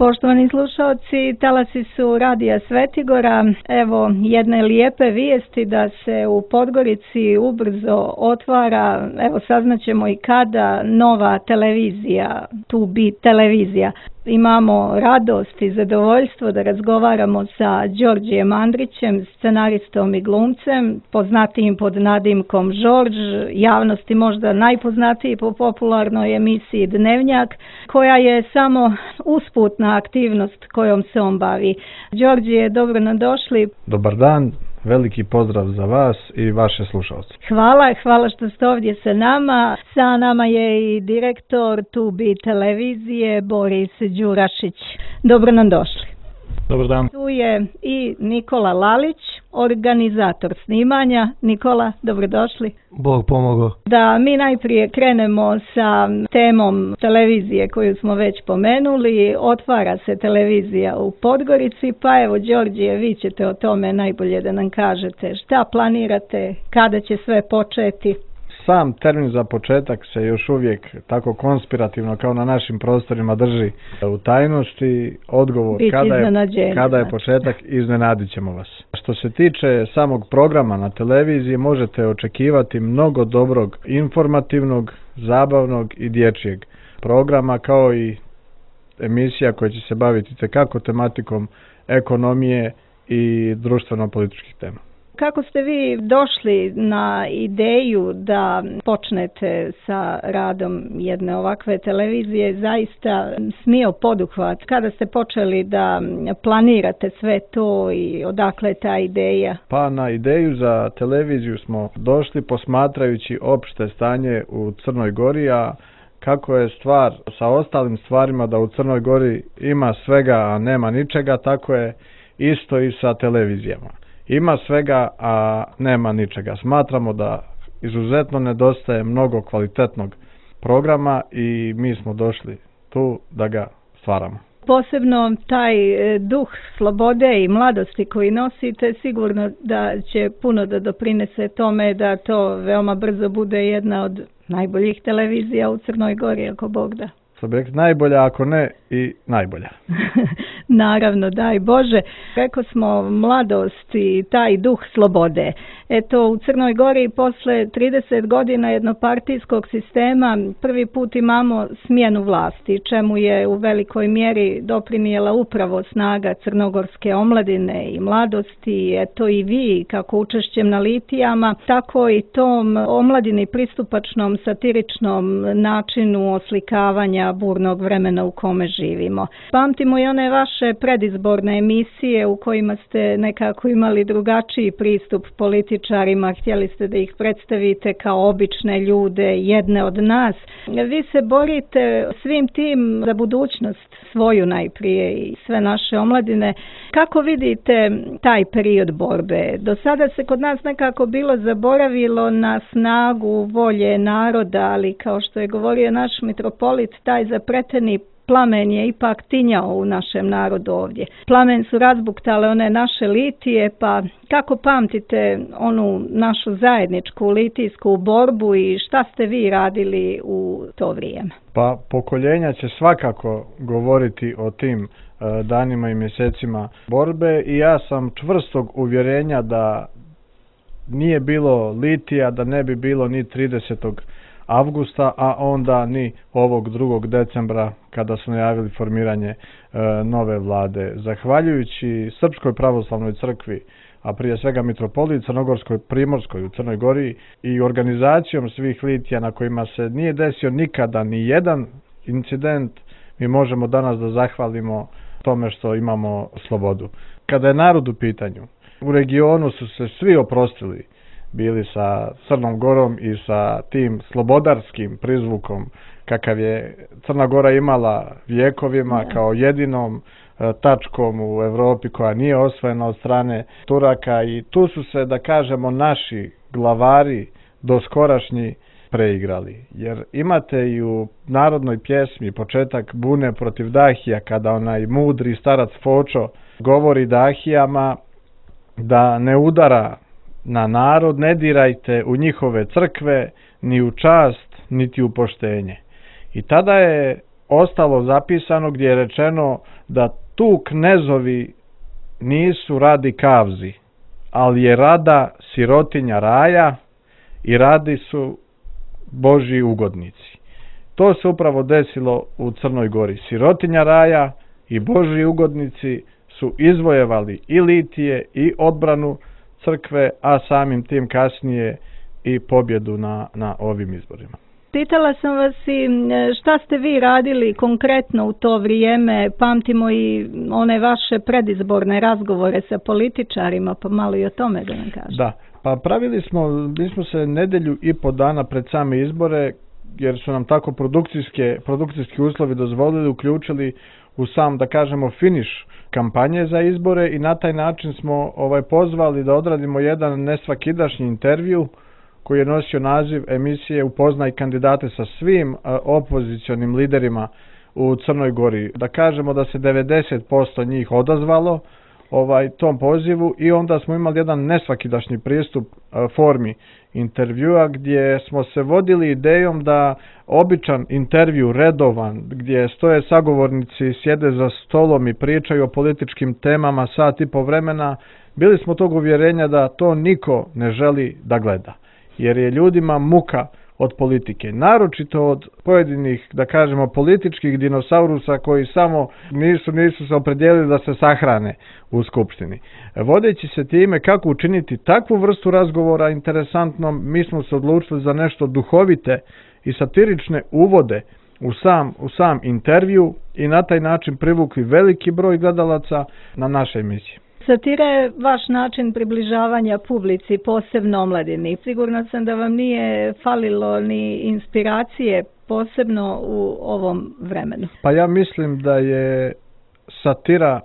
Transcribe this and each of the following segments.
Poštovani slušalci, talasi su Radija Svetigora. Evo jedne lijepe vijesti da se u Podgorici ubrzo otvara, evo saznaćemo i kada, nova televizija, Tu Bi televizija. Imamo radost i zadovoljstvo da razgovaramo sa Đorđijem Andrićem, scenaristom i glumcem, poznatijim pod nadimkom Žorđ, javnosti možda najpoznatiji po popularnoj emisiji Dnevnjak, koja je samo usputna aktivnost kojom se on bavi. Đorđije, dobro nam došli. Dobar dan. Veliki pozdrav za vas i vaše slušalce. Hvala što ste ovdje sa nama. Sa nama je i direktor Tu Bi televizije Boris Đurašić. Dobro nam došli. Dobar dan. Tu je i Nikola Lalić, organizator snimanja. Nikola, dobrodošli. Bog pomogao. Da mi najprije krenemo sa temom televizije koju smo već pomenuli. Otvara se televizija u Podgorici, pa evo Đorđije, vi ćete o tome najbolje da nam kažete. Šta planirate, kada će sve početi? Sam termin za početak se još uvijek tako konspirativno kao na našim prostorima drži u tajnosti. Odgovor kada je početak, iznenadit ćemo vas. Što se tiče samog programa na televiziji, možete očekivati mnogo dobrog, informativnog, zabavnog i dječjeg programa, kao i emisija koja će se baviti tekako tematikom ekonomije i društveno-političkih tema. Kako ste vi došli na ideju da počnete sa radom jedne ovakve televizije, zaista smio poduhvat? Kada ste počeli da planirate sve to i odakle je ta ideja? Pa na ideju za televiziju smo došli posmatrajući opšte stanje u Crnoj Gori, a kako je stvar sa ostalim stvarima da u Crnoj Gori ima svega, a nema ničega, tako je isto i sa televizijama. Ima svega, a nema ničega. Smatramo da izuzetno nedostaje mnogo kvalitetnog programa i mi smo došli tu da ga stvaramo. Posebno taj duh slobode i mladosti koji nosite, sigurno da će puno da doprinese tome da to veoma brzo bude jedna od najboljih televizija u Crnoj Gori, ako Bog da. Najbolja, ako ne i najbolja. Naravno, daj Bože. Rekao smo mladost i taj duh slobode. Eto, u Crnoj Gori posle 30 godina jednopartijskog sistema prvi put imamo smjenu vlasti, čemu je u velikoj mjeri doprinijela upravo snaga crnogorske omladine i mladosti. Eto i vi, kako učešćem na litijama, tako i tom omladini pristupačnom satiričnom načinu oslikavanja burnog vremena u kome živimo. Pamtimo i one vaše predizborne emisije u kojima ste nekako imali drugačiji pristup političarima, htjeli ste da ih predstavite kao obične ljude, jedne od nas. Vi se borite svim tim za budućnost svoju najprije i sve naše omladine. Kako vidite taj period borbe? Do sada se kod nas nekako bilo zaboravilo na snagu volje naroda, ali kao što je govorio naš mitropolit, taj zapreteni plamen je ipak tinjao u našem narodu ovdje. Plamen su razbuktale one naše litije, pa kako pamtite onu našu zajedničku litijsku borbu i šta ste vi radili u to vrijeme? Pa pokoljenja će svakako govoriti o tim danima i mjesecima borbe i ja sam čvrstog uvjerenja da nije bilo litija, da ne bi bilo ni 30. avgusta, a onda ni ovog 2. decembra kada su najavili formiranje nove vlade. Zahvaljujući Srpskoj pravoslavnoj crkvi, a prije svega mitropoliji Crnogorskoj Primorskoj u Crnoj Gori i organizacijom svih litija na kojima se nije desio nikada ni jedan incident, mi možemo danas da zahvalimo tome što imamo slobodu. Kada je narod u pitanju, u regionu su se svi oprostili, bili sa Crnom Gorom i sa tim slobodarskim prizvukom kakav je Crna Gora imala vjekovima kao jedinom tačkom u Europi koja nije osvojena od strane Turaka, i tu su se, da kažemo, naši glavari doskorašnji preigrali. Jer imate i u narodnoj pjesmi početak bune protiv Dahija, kada onaj mudri starac Fočo govori Dahijama da ne udara na narod, ne dirajte u njihove crkve, ni u čast, niti u poštenje. I tada je ostalo zapisano gdje je rečeno da tu knezovi nisu radi kavzi, ali je rada sirotinja raja i radi su Božji ugodnici. To se upravo desilo u Crnoj Gori. Sirotinja raja i Božji ugodnici su izvojevali i litije i odbranu crkve, a samim tim kasnije i pobjedu na ovim izborima. Pitala sam vas i šta ste vi radili konkretno u to vrijeme, pamtimo i one vaše predizborne razgovore sa političarima, pa malo i o tome da nam kažete. Da, pa mi smo se nedelju i po dana pred same izbore, jer su nam tako produkcijski uslovi dozvolili, uključili u sam, da kažemo, finiš kampanje za izbore i na taj način smo pozvali da odradimo jedan nesvakidašnji intervju koji je nosio naziv emisije Upoznaj kandidate sa svim opozicionim liderima u Crnoj Gori. Da kažemo da se 90% njih odazvalo tom pozivu i onda smo imali jedan nesvakidašnji pristup formi intervjua gdje smo se vodili idejom da običan intervju, redovan, gdje stoje sagovornici, sjede za stolom i pričaju o političkim temama sat i po vremena, bili smo tog uvjerenja da to niko ne želi da gleda. Jer je ljudima muka od politike, naročito od pojedinih, da kažemo, političkih dinosaurusa koji samo nisu se opredijelili da se sahrane u skupštini. Vodeći se time kako učiniti takvu vrstu razgovora interesantnom, mi smo se odlučili za nešto duhovite i satirične uvode u sam intervju i na taj način privukli veliki broj gledalaca na naše emisije. Satira je vaš način približavanja publici, posebno omladini. Sigurno sam da vam nije falilo ni inspiracije, posebno u ovom vremenu. Pa ja mislim da je satira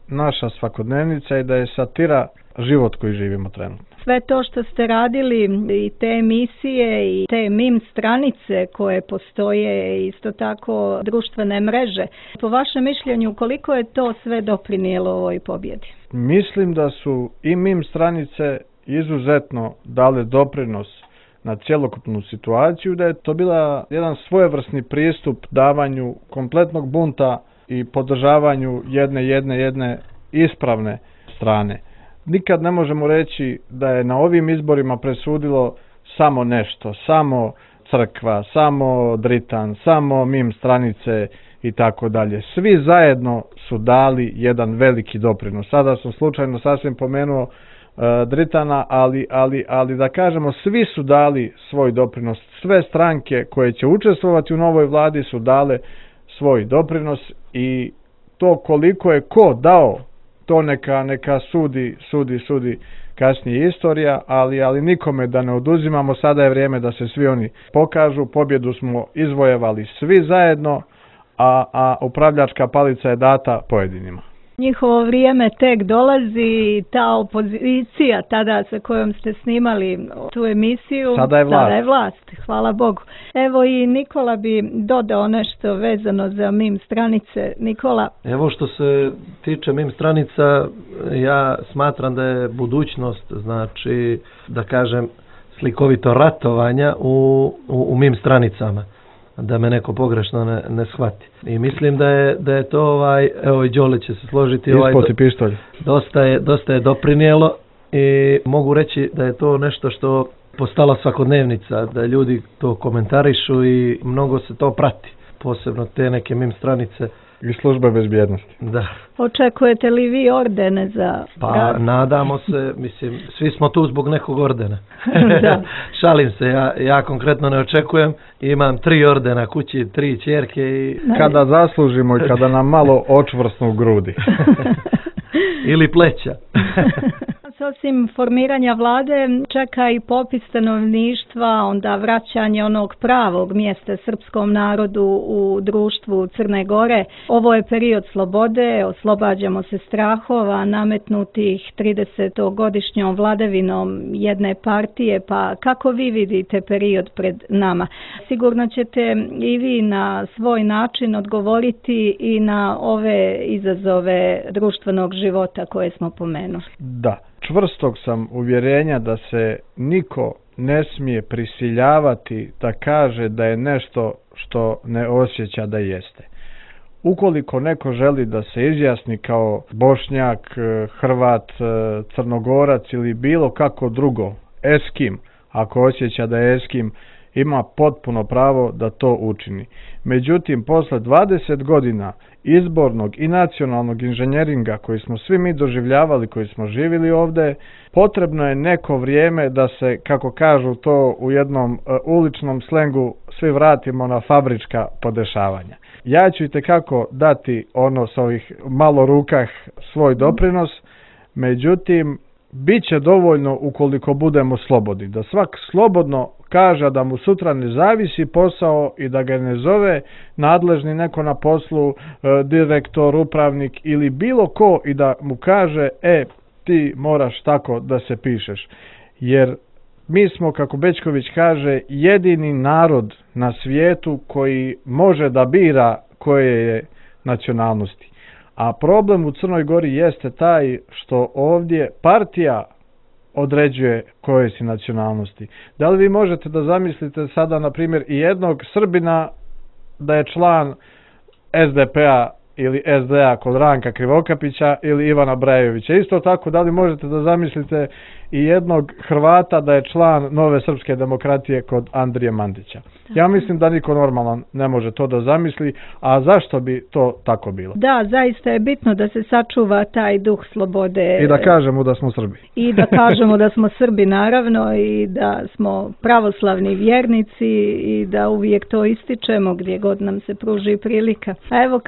naša svakodnevnica i da je satira život koji živimo trenutno. Sve to što ste radili i te emisije i te mim stranice koje postoje, isto tako društvene mreže, po vašem mišljenju koliko je to sve doprinijelo ovoj pobjedi? Mislim da su i mim stranice izuzetno dale doprinos na cjelokupnu situaciju, da je to bila jedan svojevrsni pristup davanju kompletnog bunta i podržavanju jedne ispravne strane. Nikad ne možemo reći da je na ovim izborima presudilo samo nešto, samo crkva, samo Dritan, samo mim stranice i tako dalje. Svi zajedno su dali jedan veliki doprinos. Sada sam slučajno sasvim pomenuo Dritana, ali da kažemo svi su dali svoj doprinos. Sve stranke koje će učestvovati u novoj vladi su dale svoj doprinos i to koliko je ko dao, to neka sudi kasnije istorija, ali nikome da ne oduzimamo, sada je vrijeme da se svi oni pokažu, pobjedu smo izvojevali svi zajedno, a upravljačka palica je data pojedinima. Njihovo vrijeme tek dolazi i ta opozicija tada sa kojom ste snimali tu emisiju, sada je vlast. Hvala Bogu. Evo i Nikola bi dodao nešto vezano za mim stranice. Nikola? Evo što se tiče mim stranica, ja smatram da je budućnost, znači da kažem slikovito ratovanja u mim stranicama. Da me neko pogrešno ne shvati. I mislim da je to evo i Đole će se složiti, ispoti pištolj. Dosta je doprinijelo i mogu reći da je to nešto što postala svakodnevnica, da ljudi to komentarišu i mnogo se to prati, posebno te neke mim stranice. I službe bezbjednosti. Da. Očekujete li vi ordene za... Pa nadamo se, mislim, svi smo tu zbog nekog ordena. Šalim se, ja konkretno ne očekujem. Imam 3 ordena kući, 3 ćerke i... Kada zaslužimo i kada nam malo očvrsnu grudi. Ili pleća. Osim formiranja vlade čeka i popis stanovništva, onda vraćanje onog pravog mjesta srpskom narodu u društvu Crne Gore. Ovo je period slobode, oslobađamo se strahova nametnutih 30-godišnjom vladavinom jedne partije, pa kako vi vidite period pred nama? Sigurno ćete i vi na svoj način odgovoriti i na ove izazove društvenog života koje smo pomenuli. Da. Čvrstog sam uvjerenja da se niko ne smije prisiljavati da kaže da je nešto što ne osjeća da jeste. ukoliko neko želi da se izjasni kao Bošnjak, Hrvat, Crnogorac ili bilo kako drugo, Eskim, ako osjeća da je Eskim, ima potpuno pravo da to učini. Međutim, posle 20 godina izbornog i nacionalnog inženjeringa koji smo svi mi doživljavali, koji smo živjeli ovde, potrebno je neko vrijeme da se, kako kažu to u jednom uličnom slengu, svi vratimo na fabrička podešavanja. Ja ću itekako dati sa ovih malo rukah svoj doprinos, međutim, bit će dovoljno ukoliko budemo slobodni, da svak slobodno kaže da mu sutra ne zavisi posao i da ga ne zove nadležni neko na poslu, direktor, upravnik ili bilo ko i da mu kaže ti moraš tako da se pišeš. Jer mi smo, kako Bećković kaže, jedini narod na svijetu koji može da bira koje je nacionalnosti. A problem u Crnoj Gori jeste taj što ovdje partija određuje koje si nacionalnosti. Da li vi možete da zamislite sada, na primjer, i jednog Srbina da je član SDP-a ili SDA kod Ranka Krivokapića ili Ivana Brajevića? Isto tako, da li možete da zamislite i jednog Hrvata da je član Nove srpske demokratije kod Andrije Mandića? Ja mislim da niko normalan ne može to da zamisli, a zašto bi to tako bilo? Da, zaista je bitno da se sačuva taj duh slobode. I da kažemo da smo Srbi. I da kažemo da smo Srbi, naravno, i da smo pravoslavni vjernici i da uvijek to ističemo gdje god nam se pruži prilika. A evo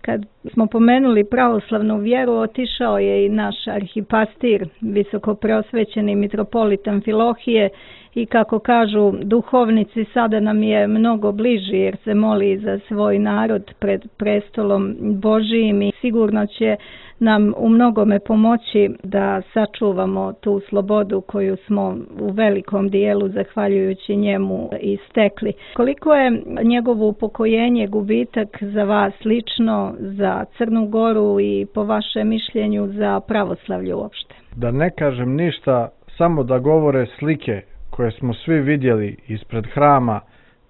kad smo pomenuli pravoslavnu vjeru, otišao je i naš arhipastir, visoko preosvećeni mitropolit Amfilohije, i kako kažu duhovnici, sada nam je mnogo bliži jer se moli za svoj narod pred prestolom Božijim i sigurno će nam u mnogome pomoći da sačuvamo tu slobodu koju smo u velikom dijelu, zahvaljujući njemu, i stekli. Koliko je njegovo upokojenje gubitak za vas lično, za Crnu Goru i po vašem mišljenju za pravoslavlje uopšte? Da ne kažem ništa, samo da govore slike koje smo svi vidjeli ispred hrama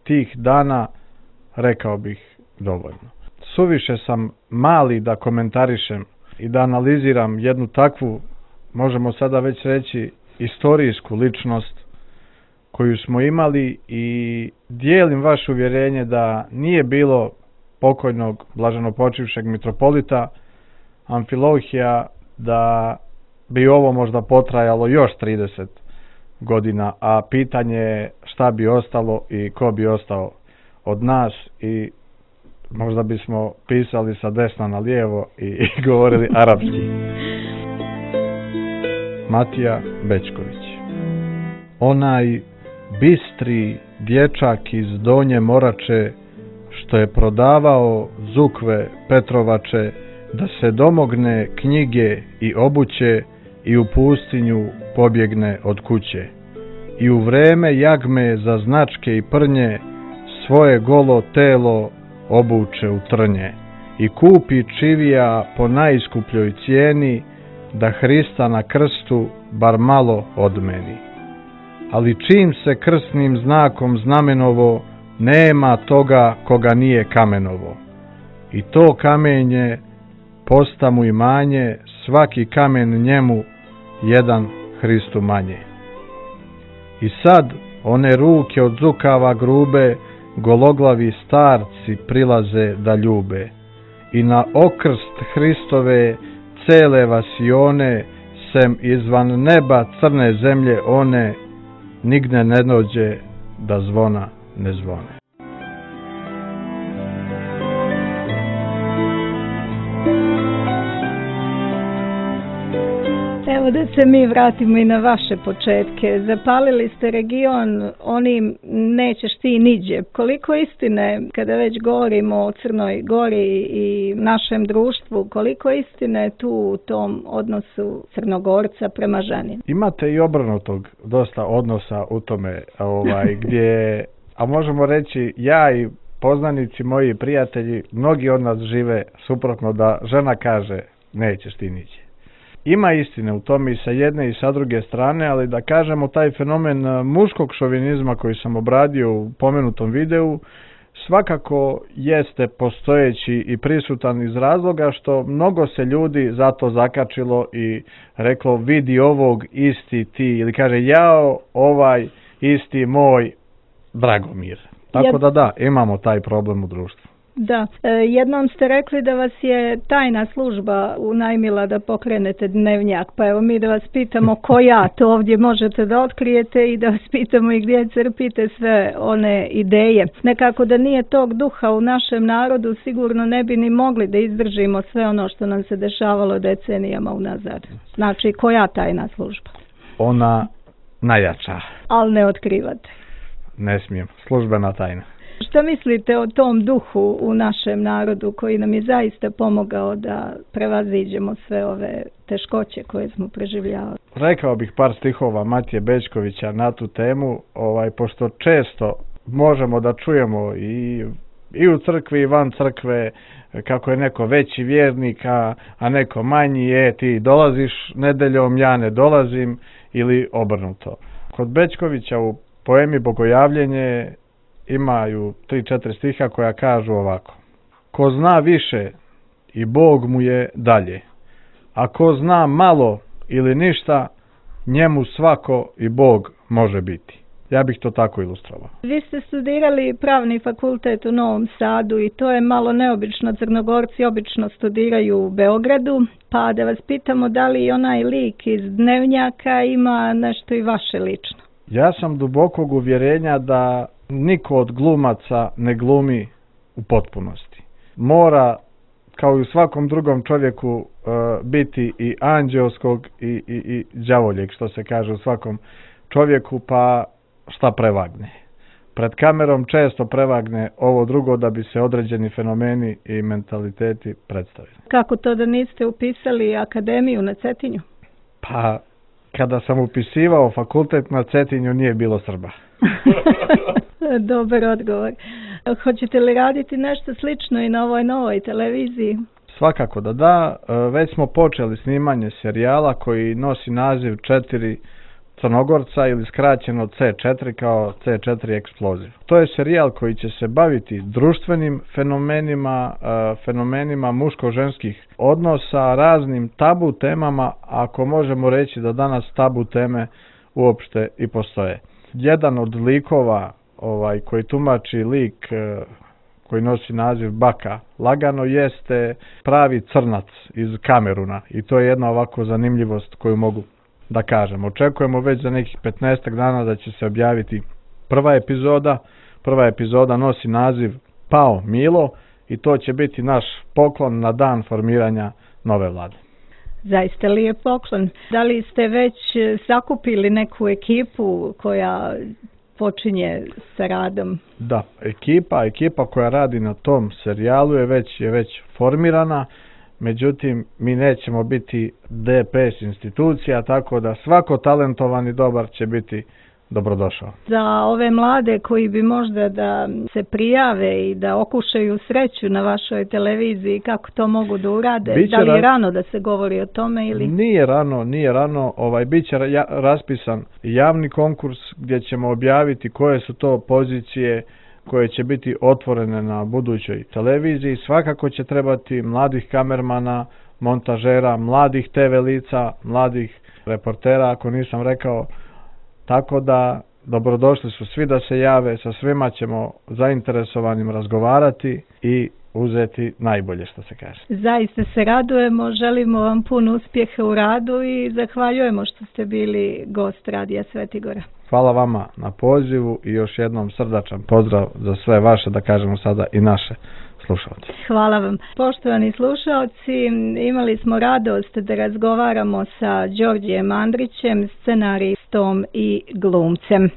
tih dana, rekao bih dovoljno. Suviše sam mali da komentarišem i da analiziram jednu takvu, možemo sada već reći, istorijsku ličnost koju smo imali, i dijelim vaše uvjerenje da nije bilo pokojnog blaženopočivšeg mitropolita Amfilohija, da bi ovo možda potrajalo još 30 godina, a pitanje je šta bi ostalo i ko bi ostao od nas, i možda bismo pisali sa desna na lijevo i govorili arapski. Matija Bećković. Onaj bistri dječak iz Donje Morače, što je prodavao zukve Petrovače, da se domogne knjige i obuće i u pustinju pobjegne od kuće. I u vreme jagme za značke i prnje svoje golo telo obuče u trnje i kupi čivija po najskupljoj cijeni, da Hrista na krstu bar malo odmeni. Ali čim se krstnim znakom znamenovo, nema toga koga nije kamenovo. I to kamenje posta mu imanje, svaki kamen njemu jedan Hristu manje. I sad one ruke od zukava grube, gologlavi starci prilaze da ljube. I na okrst Hristove cele vasione, sem izvan neba crne zemlje one, nigde ne dođe da zvona ne zvone. Evo da se mi vratimo i na vaše početke. Zapalili ste region onim nećeš ti niđe. Koliko istine, kada već govorimo o Crnoj Gori i našem društvu, koliko istine tu u tom odnosu Crnogorca prema ženi? Imate i obrnutog dosta odnosa u tome, gdje, a možemo reći, ja i poznanici, moji prijatelji, mnogi od nas žive suprotno, da žena kaže nećeš ti niđe. Ima istine u tome i sa jedne i sa druge strane, ali da kažemo taj fenomen muškog šovinizma koji sam obradio u pomenutom videu, svakako jeste postojeći i prisutan iz razloga što mnogo se ljudi zato zakačilo i reklo vidi ovog isti ti, ili kaže jao ovaj isti moj Dragomir. Tako da, imamo taj problem u društvu. Da, jednom ste rekli da vas je tajna služba unajmila da pokrenete dnevnjak, pa evo mi da vas pitamo koja to ovdje možete da otkrijete i da vas pitamo i gdje crpite sve one ideje. Nekako da nije tog duha u našem narodu sigurno ne bi ni mogli da izdržimo sve ono što nam se dešavalo decenijama unazad. Znači koja tajna služba? Ona najjača. Ali ne otkrivate. Ne smijem, službena tajna. Šta mislite o tom duhu u našem narodu koji nam je zaista pomogao da prevaziđemo sve ove teškoće koje smo preživljavali? Rekao bih par stihova Matije Bećkovića na tu temu, pošto često možemo da čujemo i u crkvi i van crkve kako je neko veći vjernik, a neko manji, ti dolaziš nedeljom, ja ne dolazim, ili obrnuto. Kod Bećkovića u poemi Bogojavljenje imaju 3-4 stiha koja kažu ovako: ko zna više i Bog mu je dalje, a ko zna malo ili ništa, njemu svako i Bog može biti. Ja bih to tako ilustrovao. Vi ste studirali pravni fakultet u Novom Sadu i to je malo neobično. Crnogorci obično studiraju u Beogradu, pa da vas pitamo da li onaj lik iz dnevnjaka ima nešto i vaše lično? Ja sam dubokog uvjerenja da niko od glumaca ne glumi u potpunosti. Mora, kao i u svakom drugom čovjeku, biti i anđeoskog i đavoljeg, što se kaže u svakom čovjeku, pa šta prevagne. Pred kamerom često prevagne ovo drugo da bi se određeni fenomeni i mentaliteti predstavili. Kako to da niste upisali akademiju na Cetinju? Pa, kada sam upisivao fakultet na Cetinju nije bilo Srba. Dobar odgovor. Hoćete li raditi nešto slično i na ovoj novoj televiziji? Svakako da. Već smo počeli snimanje serijala koji nosi naziv 4 Crnogorca ili skraćeno C4 kao C4 Eksploziv. To je serijal koji će se baviti društvenim fenomenima muško-ženskih odnosa, raznim tabu temama, ako možemo reći da danas tabu teme uopšte i postoje. Jedan od likova koji tumači lik koji nosi naziv Baka lagano jeste pravi crnac iz Kameruna i to je jedna ovako zanimljivost koju mogu da kažem. Očekujemo već za nekih 15 dana da će se objaviti prva epizoda. Prva epizoda nosi naziv Pao Milo i to će biti naš poklon na dan formiranja nove vlade. Zaista lijep poklon. Da li ste već sakupili neku ekipu koja počinje sa radom? Da, ekipa koja radi na tom serijalu je već formirana. Međutim, mi nećemo biti DPS institucija, tako da svako talentovan i dobar će biti dobrodošao. Za ove mlade koji bi možda da se prijave i da okušaju sreću na vašoj televiziji, kako to mogu da urade? Da li je rano da se govori o tome? Ili? Nije rano. Biće raspisan javni konkurs gdje ćemo objaviti koje su to pozicije koje će biti otvorene na budućoj televiziji. Svakako će trebati mladih kamermana, montažera, mladih TV lica, mladih reportera, ako nisam rekao. Tako da dobrodošli su svi da se jave, sa svima ćemo zainteresovanim razgovarati i uzeti najbolje, što se kaže. Zaista se radujemo, želimo vam puno uspjeha u radu i zahvaljujemo što ste bili gost Radija Svetigora. Hvala vama na pozivu i još jednom srdačan pozdrav za sve vaše, da kažemo sada i naše slušalce. Hvala vam. Poštovani slušalci, imali smo radost da razgovaramo sa Đorđijem Andrićem, scenaristom i glumcem.